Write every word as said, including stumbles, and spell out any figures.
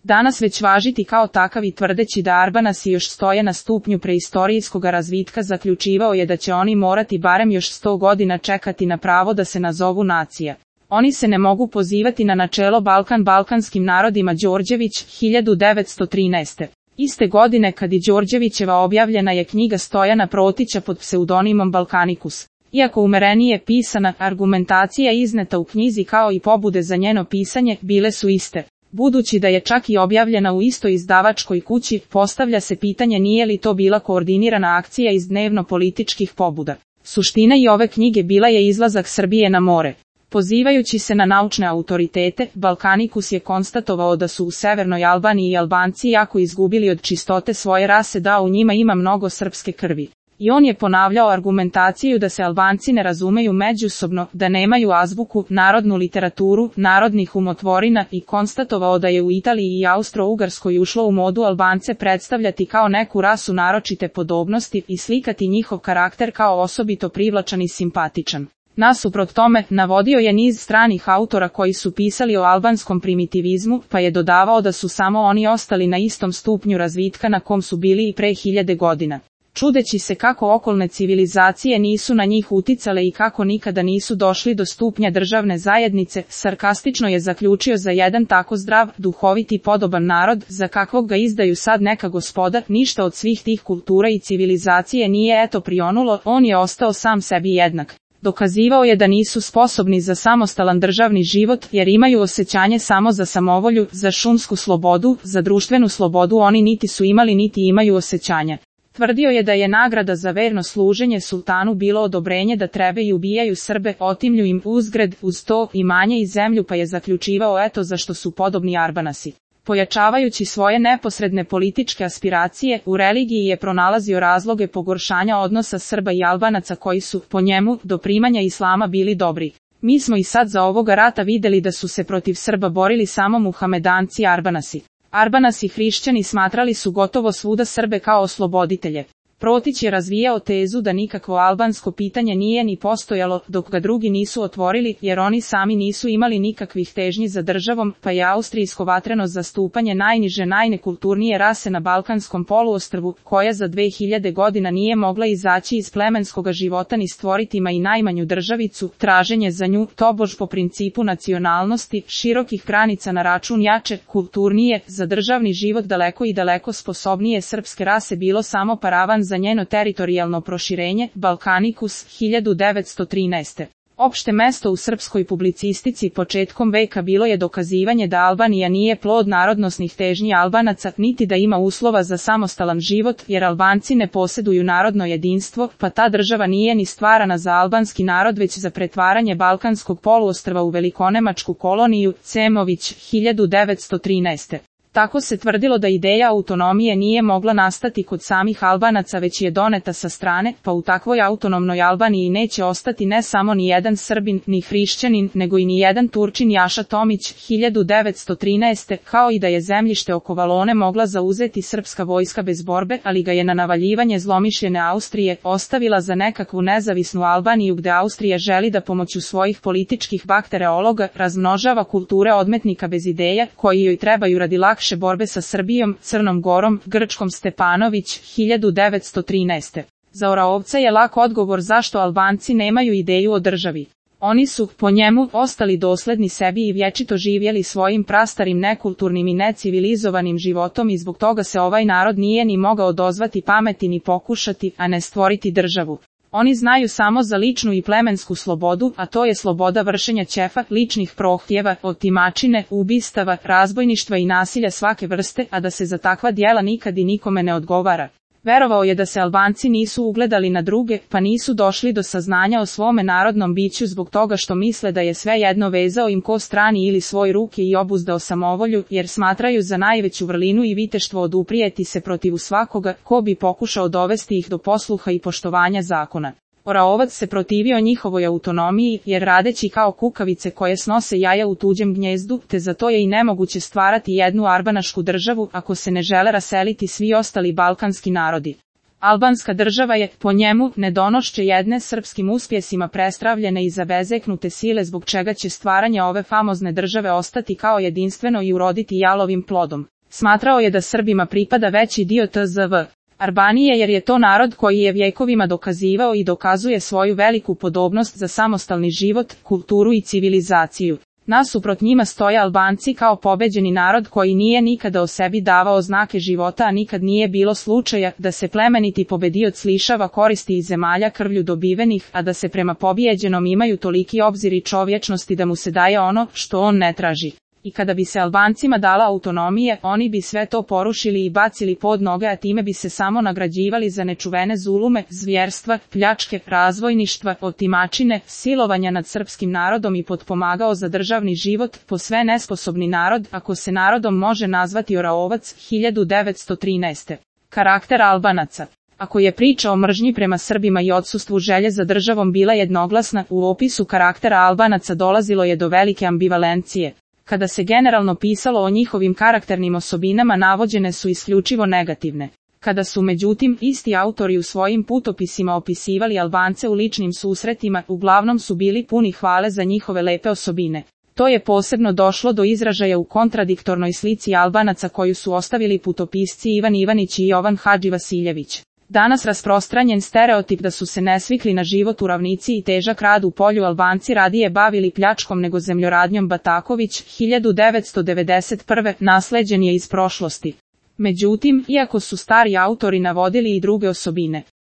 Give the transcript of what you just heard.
danas već važiti kao takav i tvrdeći da Arbanasi još stoje na stupnju preistorijskog razvitka zaključivao je da će oni morati barem još sto godina čekati na pravo da se nazovu nacija. Oni se ne mogu pozivati na načelo Balkan balkanskim narodima. Đorđević, hiljadu devetsto trinaeste. Iste godine kad i Đorđevićeva objavljena je knjiga Stojana Protića pod pseudonimom Balkanikus. Iako umerenije pisana, argumentacija izneta u knjizi kao i pobude za njeno pisanje bile su iste. Budući da je čak i objavljena u istoj izdavačkoj kući, postavlja se pitanje nije li to bila koordinirana akcija iz dnevno-političkih pobuda. Suština i ove knjige bila je izlazak Srbije na more. Pozivajući se na naučne autoritete, Balkanikus je konstatovao da su u Severnoj Albaniji Albanci jako izgubili od čistote svoje rase, da u njima ima mnogo srpske krvi. I on je ponavljao argumentaciju da se Albanci ne razumeju međusobno, da nemaju azbuku, narodnu literaturu, narodnih umotvorina i konstatovao da je u Italiji i Austro-Ugarskoj ušlo u modu Albance predstavljati kao neku rasu naročite podobnosti i slikati njihov karakter kao osobito privlačan i simpatičan. Nasuprot tome, navodio je niz stranih autora koji su pisali o albanskom primitivizmu, pa je dodavao da su samo oni ostali na istom stupnju razvitka na kom su bili i pre hiljade godina. Čudeći se kako okolne civilizacije nisu na njih uticale i kako nikada nisu došli do stupnja državne zajednice, sarkastično je zaključio za jedan tako zdrav, duhovit i podoban narod, za kakvog ga izdaju sad neka gospoda, ništa od svih tih kultura i civilizacije nije eto prionulo, on je ostao sam sebi jednak. Dokazivao je da nisu sposobni za samostalan državni život, jer imaju osjećanje samo za samovolju, za šumsku slobodu, za društvenu slobodu oni niti su imali niti imaju osjećanja. Tvrdio je da je nagrada za verno služenje sultanu bilo odobrenje da trebe i ubijaju Srbe, otimlju im uzgred, uz to imanje i zemlju, pa je zaključivao eto zašto su podobni Arbanasi. Pojačavajući svoje neposredne političke aspiracije, u religiji je pronalazio razloge pogoršanja odnosa Srba i Albanaca koji su, po njemu, do primanja islama bili dobri. Mi smo i sad za ovoga rata videli da su se protiv Srba borili samo Muhamedanci i Arbanasi. Arbanasi hrišćani smatrali su gotovo svuda Srbe kao osloboditelje. Protić je razvijao tezu da nikakvo albansko pitanje nije ni postojalo, dok ga drugi nisu otvorili, jer oni sami nisu imali nikakvih težnji za državom, pa je austrijsko vatreno zastupanje najniže najnekulturnije rase na Balkanskom poluostrvu, koja za dve hiljade godina nije mogla izaći iz plemenskoga života ni stvoriti ma i najmanju državicu, traženje za nju, tobož po principu nacionalnosti, širokih granica na račun jače, kulturnije, za državni život daleko i daleko sposobnije srpske rase bilo samo paravan za njeno teritorijalno proširenje. Balkanikus, hiljadu devetsto trinaeste. Opšte mesto u srpskoj publicistici početkom veka bilo je dokazivanje da Albanija nije plod narodnosnih težnji Albanaca, niti da ima uslova za samostalan život, jer Albanci ne posjeduju narodno jedinstvo, pa ta država nije ni stvarana za albanski narod već za pretvaranje Balkanskog poluostrva u velikonemačku koloniju. Cemović, hiljadu devetsto trinaeste. Tako se tvrdilo da ideja autonomije nije mogla nastati kod samih Albanaca već je doneta sa strane, pa u takvoj autonomnoj Albaniji neće ostati ne samo ni jedan Srbin, ni hrišćanin, nego i ni jedan Turčin. Jaša Tomić, hiljadu devetsto trinaeste. Kao i da je zemljište oko Valone mogla zauzeti srpska vojska bez borbe, ali ga je na navaljivanje zlomišljene Austrije ostavila za nekakvu nezavisnu Albaniju gde Austrija želi da pomoću svojih političkih baktereologa razmnožava kulture odmetnika bez ideja, koji joj trebaju radi lakše borbe sa Srbijom, Crnom Gorom, Grčkom. Stepanović, hiljadu devetsto trinaeste. Za Oraovca je lak odgovor zašto Albanci nemaju ideju o državi. Oni su, po njemu, ostali dosledni sebi i vječito živjeli svojim prastarim nekulturnim i necivilizovanim životom i zbog toga se ovaj narod nije ni mogao dozvati pameti ni pokušati, a ne stvoriti državu. Oni znaju samo za ličnu i plemensku slobodu, a to je sloboda vršenja ćefa, ličnih prohtjeva, otimačine, ubistava, razbojništva i nasilja svake vrste, a da se za takva djela nikad i nikome ne odgovara. Verovao je da se Albanci nisu ugledali na druge, pa nisu došli do saznanja o svome narodnom biću zbog toga što misle da je sve jedno vezao im ko strani ili svoj ruke i obuzdao samovolju, jer smatraju za najveću vrlinu i viteštvo oduprijeti se protiv svakoga ko bi pokušao dovesti ih do posluha i poštovanja zakona. Oraovac se protivio njihovoj autonomiji, jer radeći kao kukavice koje snose jaja u tuđem gnjezdu, te zato je i nemoguće stvarati jednu arbanašku državu ako se ne žele raseliti svi ostali balkanski narodi. Albanska država je, po njemu, nedonošće jedne srpskim uspjesima prestravljene i zabezeknute sile zbog čega će stvaranje ove famozne države ostati kao jedinstveno i uroditi jalovim plodom. Smatrao je da Srbima pripada veći dio tzv. Albanije jer je to narod koji je vjekovima dokazivao i dokazuje svoju veliku podobnost za samostalni život, kulturu i civilizaciju. Nasuprot njima stoje Albanci kao pobeđeni narod koji nije nikada o sebi davao znake života, a nikad nije bilo slučaja da se plemeniti pobedioc lišava koristi iz zemalja krvlju dobivenih, a da se prema pobijeđenom imaju toliki obzir i čovječnosti da mu se daje ono što on ne traži. I kada bi se Albancima dala autonomije, oni bi sve to porušili i bacili pod noge, a time bi se samo nagrađivali za nečuvene zulume, zvjerstva, pljačke, razvojništva, otimačine, silovanja nad srpskim narodom i potpomagao za državni život, posve nesposobni narod, ako se narodom može nazvati Oraovac, hiljadu devetsto trinaeste. Karakter Albanaca. Ako je priča o mržnji prema Srbima i odsustvu želje za državom bila jednoglasna, u opisu karaktera Albanaca dolazilo je do velike ambivalencije. Kada se generalno pisalo o njihovim karakternim osobinama, navođene su isključivo negativne. Kada su međutim isti autori u svojim putopisima opisivali Albance u ličnim susretima, uglavnom su bili puni hvale za njihove lepe osobine. To je posebno došlo do izražaja u kontradiktornoj slici Albanaca koju su ostavili putopisci Ivan Ivanić i Jovan Hadži Vasiljević. Danas rasprostranjen stereotip da su se nesvikli na život u ravnici i težak rad u polju Albanci radije bavili pljačkom nego zemljoradnjom Bataković, hiljadu devetsto devedeset prve. nasleđen je iz prošlosti. Međutim, iako su stari autori navodili i druge osobine,